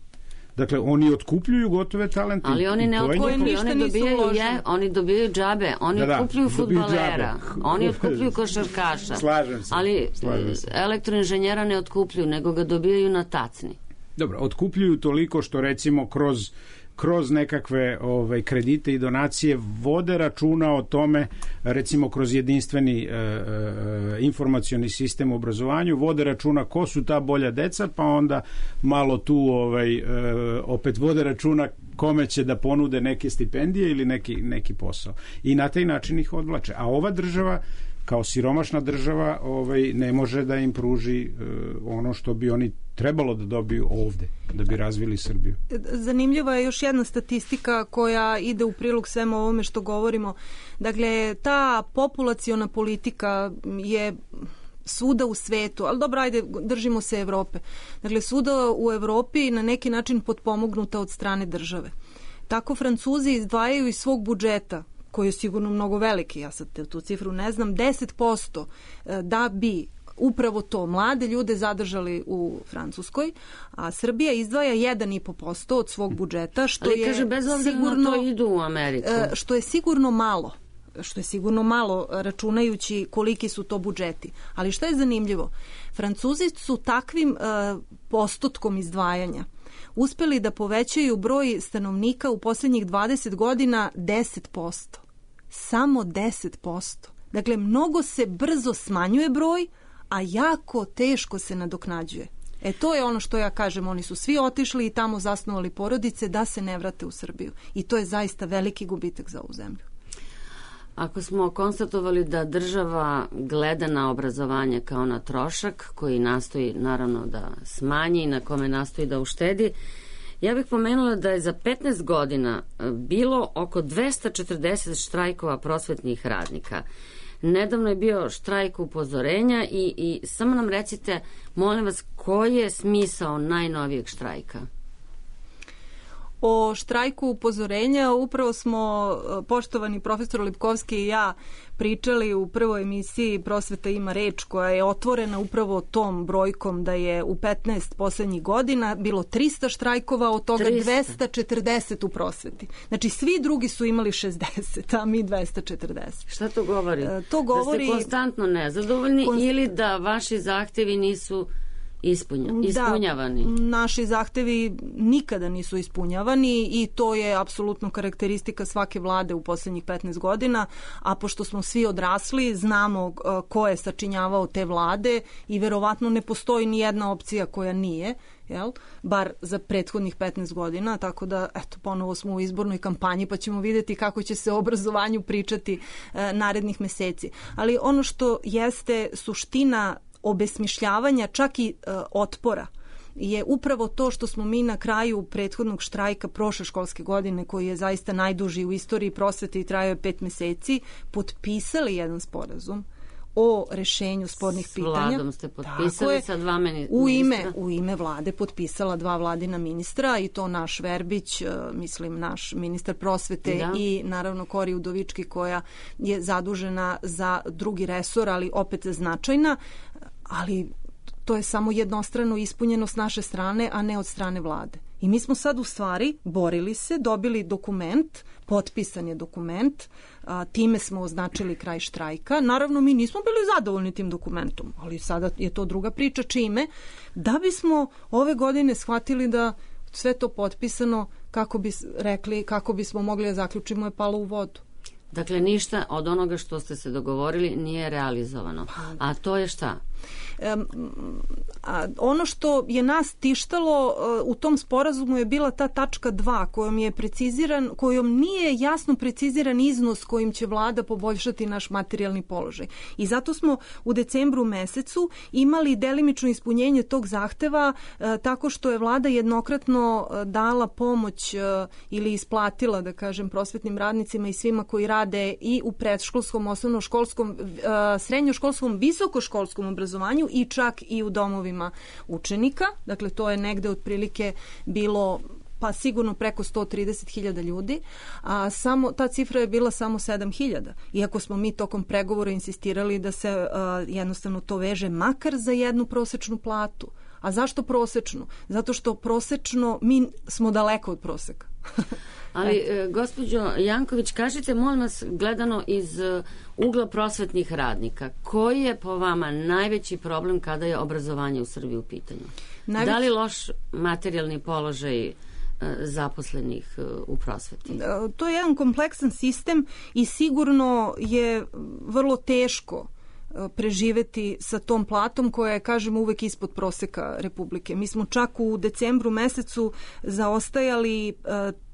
Dakle, oni otkupljuju gotove talente. Ali oni ne otkupljuju, oni dobijaju, je, oni dobijaju džabe, oni da, da, otkupljuju fudbalera, oni otkupljuju košarkaša. Slažem se. Ali slažem se. Elektroinženjera ne otkupljuju, nego ga dobijaju na tacni. Dobro, otkupljuju toliko što recimo kroz kroz nekakve ovaj, kredite i donacije vode računa o tome, recimo kroz jedinstveni e, e, informacioni sistem u obrazovanju, vode računa ko su ta bolja deca, pa onda malo tu ovaj, e, opet vode računa kome će da ponude neke stipendije ili neki, neki posao. I na taj način ih odvlače. A ova država, kao siromašna država, ovaj, ne može da im pruži e, ono što bi oni trebalo da dobiju ovde, da bi razvili Srbiju. Zanimljiva je još jedna statistika koja ide u prilog svemu ovome što govorimo. Dakle, ta populaciona politika je svuda u svetu, ali dobro, ajde, držimo se Evrope. Dakle, svuda u Evropi na neki način potpomognuta od strane države. Tako Francuzi izdvajaju iz svog budžeta, koji je sigurno mnogo veliki, ja sad tu cifru ne znam, deset posto da bi upravo to mlade ljude zadržali u Francuskoj, a Srbija izdvaja jedan i po posto od svog budžeta, što ali, je kaže, bez obzira sigurno, na to idu u Ameriku. Što je sigurno malo. što je sigurno malo računajući koliki su to budžeti. Ali što je zanimljivo? Francuzi su takvim uh, postotkom izdvajanja uspeli da povećaju broj stanovnika u posljednjih dvadeset godina deset posto. Samo deset posto. Dakle, mnogo se brzo smanjuje broj, a jako teško se nadoknađuje. E to je ono što ja kažem, oni su svi otišli i tamo zasnovali porodice da se ne vrate u Srbiju. I to je zaista veliki gubitak za ovu zemlju. Ako smo konstatovali da država gleda na obrazovanje kao na trošak koji nastoji naravno da smanji i na kome nastoji da uštedi, ja bih pomenula da je za petnaest godina bilo oko dvesta četrdeset štrajkova prosvetnih radnika. Nedavno je bio štrajk upozorenja i, i samo nam recite, molim vas, koji je smisao najnovijeg štrajka? O štrajku upozorenja upravo smo, poštovani profesor Lipkovski i ja, pričali u prvoj emisiji Prosveta ima reč, koja je otvorena upravo tom brojkom da je u petnaest poslednjih godina bilo trista štrajkova, od toga trista. dvesta četrdeset u prosveti. Znači svi drugi su imali šezdeset, a mi dvesta četrdeset. Šta to govori? E, to govori... Da ste konstantno nezadovoljni konst... ili da vaši zahtevi nisu Ispunja, ispunjavani. Da, naši zahtevi nikada nisu ispunjavani i to je apsolutno karakteristika svake vlade u posljednjih petnaest godina, a pošto smo svi odrasli, znamo ko je sačinjavao te vlade i verovatno ne postoji ni jedna opcija koja nije, jel? Bar za prethodnih petnaest godina, tako da eto, ponovo smo u izbornoj kampanji pa ćemo vidjeti kako će se o obrazovanju pričati e, narednih meseci. Ali ono što jeste suština obesmišljavanja, čak i e, otpora, je upravo to što smo mi na kraju prethodnog štrajka prošle školske godine, koji je zaista najduži u istoriji prosvete i trajao je pet meseci, potpisali jedan sporazum o rešenju spornih s pitanja. S vladom ste potpisali je, sa dva ministra. U ime, u ime vlade potpisala dva vladina ministra i to naš Verbić, mislim naš ministar prosvete da. I naravno Kori Udovički koja je zadužena za drugi resor, ali opet značajna, ali to je samo jednostrano ispunjeno s naše strane, a ne od strane vlade. I mi smo sad u stvari borili se, dobili dokument, potpisan je dokument, a, time smo označili kraj štrajka. Naravno, mi nismo bili zadovoljni tim dokumentom, ali sada je to druga priča čime, da bismo ove godine shvatili da sve to potpisano, kako bi rekli, kako bismo mogli da zaključimo, je palo u vodu. Dakle, ništa od onoga što ste se dogovorili nije realizovano. A to je šta? Um, a ono što je nas tištalo uh, u tom sporazumu je bila ta tačka dva kojom je preciziran, kojom nije jasno preciziran iznos kojim će vlada poboljšati naš materijalni položaj. I zato smo u decembru mesecu imali delimično ispunjenje tog zahteva uh, tako što je vlada jednokratno uh, dala pomoć uh, ili isplatila, da kažem, prosvetnim radnicima i svima koji rade i u predškolskom, osnovnoškolskom, uh, srednjoškolskom, visokoškolskom obrazovanju i čak i u domovima učenika. Dakle, to je negde otprilike bilo pa sigurno preko sto trideset hiljada ljudi, a samo, ta cifra je bila samo sedam hiljada. Iako smo mi tokom pregovora insistirali da se uh, jednostavno to veže makar za jednu prosečnu platu. A zašto prosečnu? Zato što prosečno mi smo daleko od proseka. Ali, e, gospođo Janković, kažite, molim vas, gledano iz uh, ugla prosvetnih radnika, koji je po vama najveći problem kada je obrazovanje u Srbiji u pitanju? Najveći... Da li loš materijalni položaj zaposlenih u prosveti? To je jedan kompleksan sistem i sigurno je vrlo teško preživeti sa tom platom koja je, kažem, uvek ispod proseka Republike. Mi smo čak u decembru mesecu zaostajali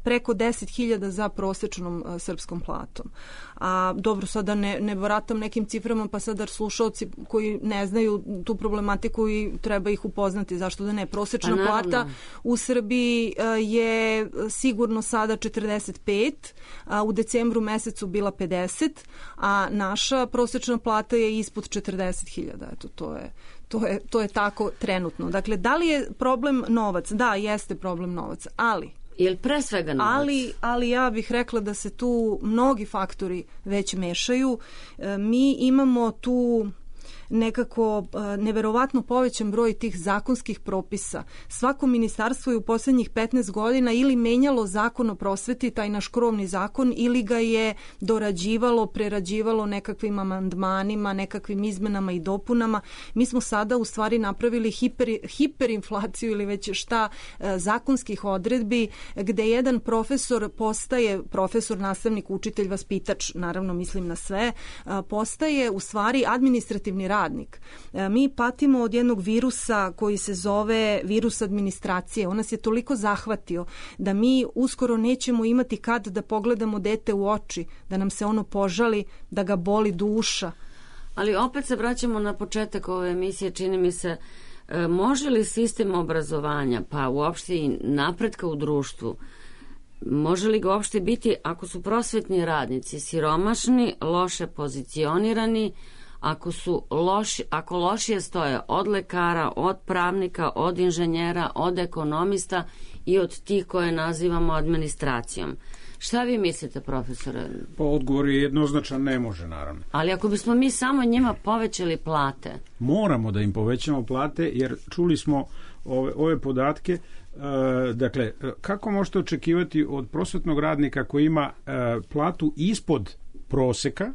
preko deset hiljada za prosečnom uh, srpskom platom. A dobro, sada ne, ne baratam nekim ciframa, pa sada slušalci koji ne znaju tu problematiku i treba ih upoznati, zašto da ne. Prosečna pa, plata u Srbiji uh, je sigurno sada četrdeset pet, a u decembru mesecu bila pedeset, a naša prosečna plata je ispod četrdeset hiljada. Eto, to je To je, to je tako trenutno. Dakle, da li je problem novac? Da, jeste problem novac, ali Ili pre svega novac? Ali, ali ja bih rekla da se tu mnogi faktori već mešaju. E, mi imamo tu nekako neverovatno povećan broj tih zakonskih propisa. Svako ministarstvo je u poslednjih petnaest godina ili menjalo zakon o prosveti, taj naš krovni zakon, ili ga je dorađivalo, prerađivalo nekakvim amandmanima, nekakvim izmenama i dopunama. Mi smo sada u stvari napravili hiper, hiperinflaciju ili već šta zakonskih odredbi, gde jedan profesor postaje, profesor, nastavnik, učitelj, vaspitač, naravno mislim na sve, postaje u stvari administrativni radnik. Mi patimo od jednog virusa koji se zove virus administracije. On nas je toliko zahvatio da mi uskoro nećemo imati kad da pogledamo dete u oči, da nam se ono požali, da ga boli duša. Ali opet se vraćamo na početak ove emisije, čini mi se, može li sistem obrazovanja, pa uopšte i napretka u društvu, može li ga uopšte biti ako su prosvetni radnici siromašni, loše pozicionirani, ako su loši, ako lošije stoje od lekara, od pravnika, od inženjera, od ekonomista i od tih koje nazivamo administracijom? Šta vi mislite, profesore? Pa odgovor je jednoznačan, ne može, naravno. Ali ako bismo mi samo njima povećali plate? Moramo da im povećamo plate, jer čuli smo ove, ove podatke. E, dakle, kako možete očekivati od prosvetnog radnika koji ima e, platu ispod proseka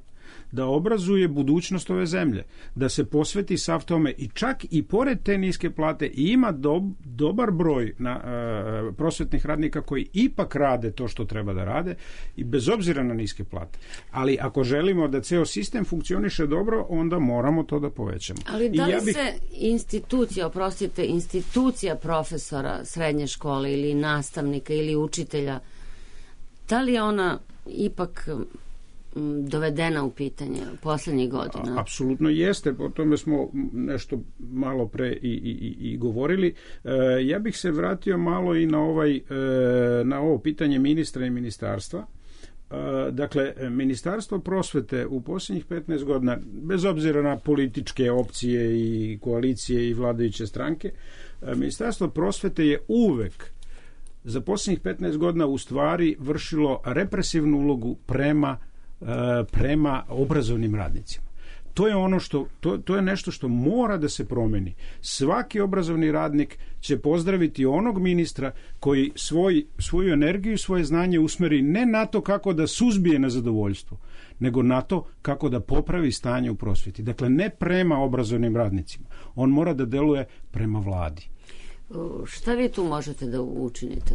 da obrazuje budućnost ove zemlje, da se posveti sav tome i čak i pored te niske plate ima do, dobar broj na, e, prosvetnih radnika koji ipak rade to što treba da rade i bez obzira na niske plate. Ali ako želimo da ceo sistem funkcioniše dobro, onda moramo to da povećamo. Ali da li ja bih... se institucija, oprostite, institucija profesora srednje škole ili nastavnika ili učitelja, da li je ona ipak dovedena u pitanje poslednjih godina? Apsolutno jeste, o tome smo nešto malo pre i, i, i govorili. E, ja bih se vratio malo i na, ovaj, e, na ovo pitanje ministra i ministarstva. E, dakle, Ministarstvo prosvete u posljednjih petnaest godina, bez obzira na političke opcije i koalicije i vladajuće stranke, e, Ministarstvo prosvete je uvek za posljednjih petnaest godina u stvari vršilo represivnu ulogu prema prema obrazovnim radnicima. To je ono što, to, to je nešto što mora da se promeni. Svaki obrazovni radnik će pozdraviti onog ministra koji svoj, svoju energiju, svoje znanje usmeri ne na to kako da suzbije nezadovoljstvo, nego na to kako da popravi stanje u prosveti. Dakle, ne prema obrazovnim radnicima. On mora da deluje prema vladi. Šta vi tu možete da učinite?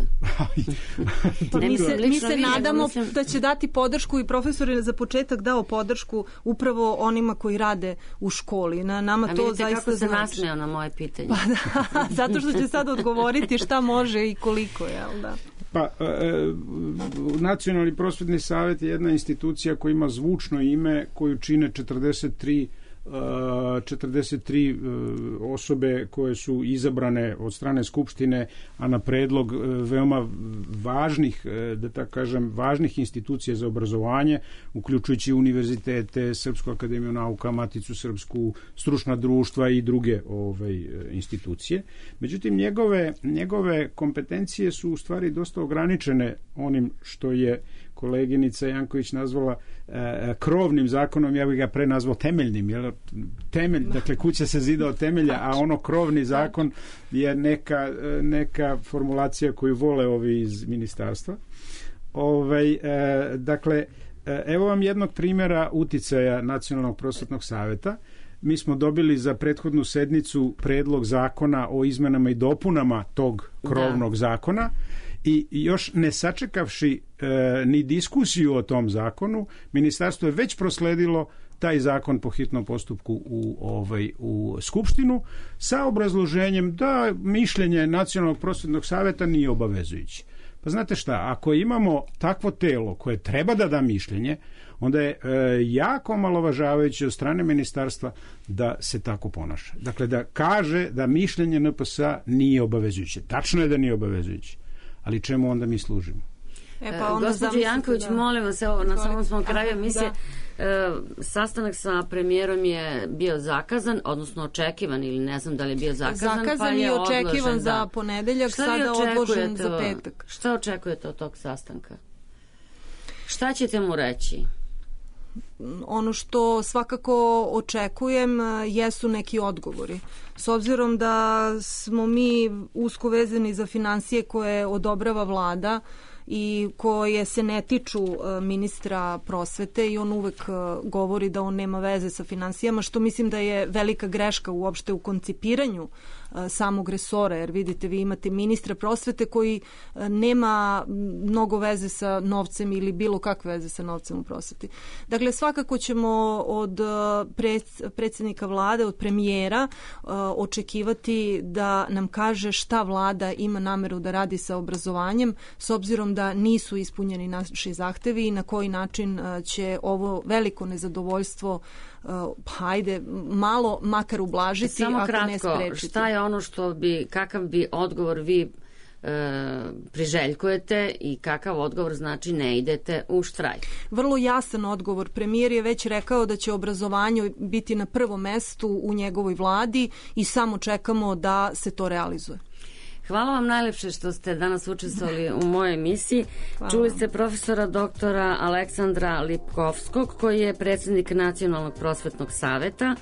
Pa mi se, mi se nadamo mislim... da će dati podršku i profesor je za početak dao podršku upravo onima koji rade u školi. Na nama A to vidite zaista kako se znači. nasmeo na moje pitanje. Pa da, zato što će sad odgovoriti šta može i koliko, jel da? Pa, e, Nacionalni prosvetni savet je jedna institucija koja ima zvučno ime, koju čine četrdeset tri četrdeset tri osobe koje su izabrane od strane Skupštine, a na predlog veoma važnih, da tako kažem, važnih institucija za obrazovanje, uključujući univerzitete, Srpsku akademiju nauka, Maticu srpsku, stručna društva i druge ove institucije. Međutim, njegove, njegove kompetencije su u stvari dosta ograničene onim što je koleginica Janković nazvala e, krovnim zakonom, ja bih ga pre nazvao temeljnim, jer temelj, dakle kuća se zida od temelja, a ono krovni zakon je neka, neka formulacija koju vole ovi iz ministarstva. Ovaj, e, dakle, evo vam jednog primjera uticaja Nacionalnog prosvetnog saveta. Mi smo dobili za prethodnu sednicu predlog zakona o izmenama i dopunama tog krovnog da. zakona i još ne sačekavši e, ni diskusiju o tom zakonu, ministarstvo je već prosledilo taj zakon po hitnom postupku u, ovaj, u Skupštinu sa obrazloženjem da mišljenje Nacionalnog prosvetnog saveta nije obavezujuće. Pa znate šta, ako imamo takvo telo koje treba da da mišljenje, onda je e, jako omalovažavajuće od strane ministarstva da se tako ponaša. Dakle, da kaže da mišljenje N P S-a nije obavezujuće. Tačno je da nije obavezujuće, ali čemu onda mi služimo? E, pa Gospođo Janković, da... molim vas, evo, na samom smo kraju emisije, e, sastanak sa premijerom je bio zakazan, odnosno očekivan, ili ne znam da li je bio zakazan, zakazan pa je i očekivan odložen, za da. ponedeljak, šta sada odložen za petak. Šta očekujete od tog sastanka? Šta ćete mu reći? Ono što svakako očekujem jesu neki odgovori. S obzirom da smo mi usko vezani za finansije koje odobrava vlada i koje se ne tiču ministra prosvete i on uvek govori da on nema veze sa finansijama, što mislim da je velika greška uopšte u koncipiranju samog resora, jer vidite, vi imate ministra prosvete koji nema mnogo veze sa novcem ili bilo kakve veze sa novcem u prosveti. Dakle, svakako ćemo od predsjednika vlade, od premijera očekivati da nam kaže šta vlada ima nameru da radi sa obrazovanjem, s obzirom da nisu ispunjeni naši zahtevi i na koji način će ovo veliko nezadovoljstvo hajde, malo makar ublažiti, samo ako kratko, ne sprečiti. Šta je ono što bi, kakav bi odgovor vi e, priželjkujete i kakav odgovor znači ne idete u štrajk? Vrlo jasan odgovor. Premijer je već rekao da će obrazovanje biti na prvom mestu u njegovoj vladi i samo čekamo da se to realizuje. Hvala vam najlepše što ste danas učestvovali u mojoj emisiji. Hvala. Čuli ste profesora doktora Aleksandra Lipkovskog, koji je predsjednik Nacionalnog prosvetnog saveta,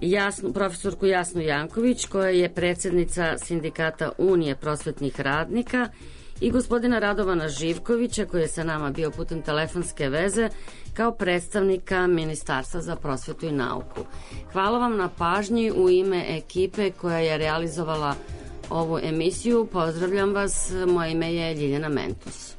Jasnu, profesorku Jasnu Janković, koja je predsjednica Sindikata Unije prosvetnih radnika, i gospodina Radovana Živkovića, koji je sa nama bio putem telefonske veze kao predstavnika Ministarstva za prosvetu i nauku. Hvala vam na pažnji u ime ekipe koja je realizovala ovu emisiju. Pozdravljam vas, moje ime je Ljiljana Mentos.